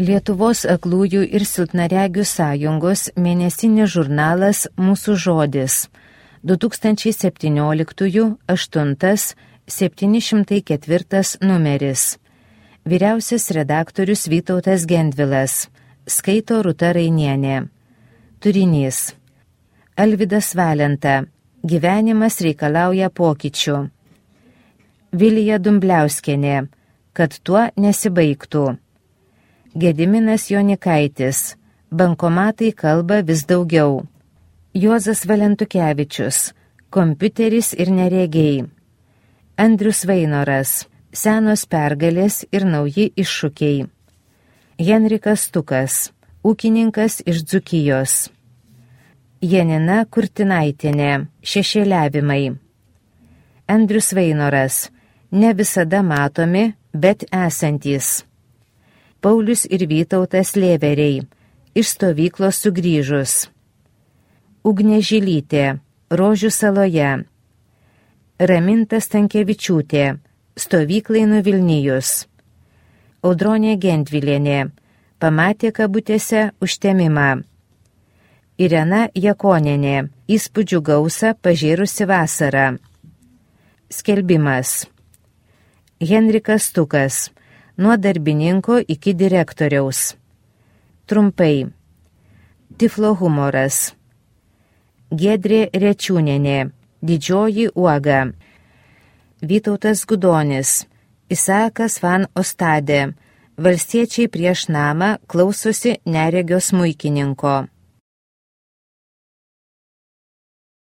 Lietuvos aklųjų ir silpnaregių sąjungos mėnesinis žurnalas Mūsų žodis 2017-8-704 numeris. Vyriausias redaktorius Vytautas Gendvilas. Skaito Rūta Rainienė. Turinys. Alvydas Valenta. Gyvenimas reikalauja pokyčių. Vilija Dumbliauskienė. Kad tuo nesibaigtų. Gediminas Jonikaitis. Bankomatai kalba vis daugiau. Juozas Valentukevičius. Kompiuteris ir neregiai. Andrius Vainoras. Senos pergalės ir nauji iššūkiai. Henrikas Stukas. Ūkininkas iš Dzūkijos. Janina Kurtinaitienė. Šešėliavimai. Andrius Vainoras. Ne visada matomi, bet esantys. Paulius ir Vytautas Lėveriai. Iš stovyklos sugrįžus. Ugnė Žilytė. Rožių saloje. Raminta Stankevičiūtė. Stovyklai nuvilnijus. Audronė Gendvilienė. Pamatė kabutėse užtemimą. Irena Jakonienė. Įspūdžių gausą pažėrusi vasarą. Skelbimas. Henrikas Stukas. Nuo darbininko iki direktoriaus. Trumpai. Tiflo humoras. Giedrė Rečiūnienė. Didžioji uoga. Vytautas Gudonis. Isaakas van Ostadė. Valstiečiai prieš namą klausosi neregio smuikininko.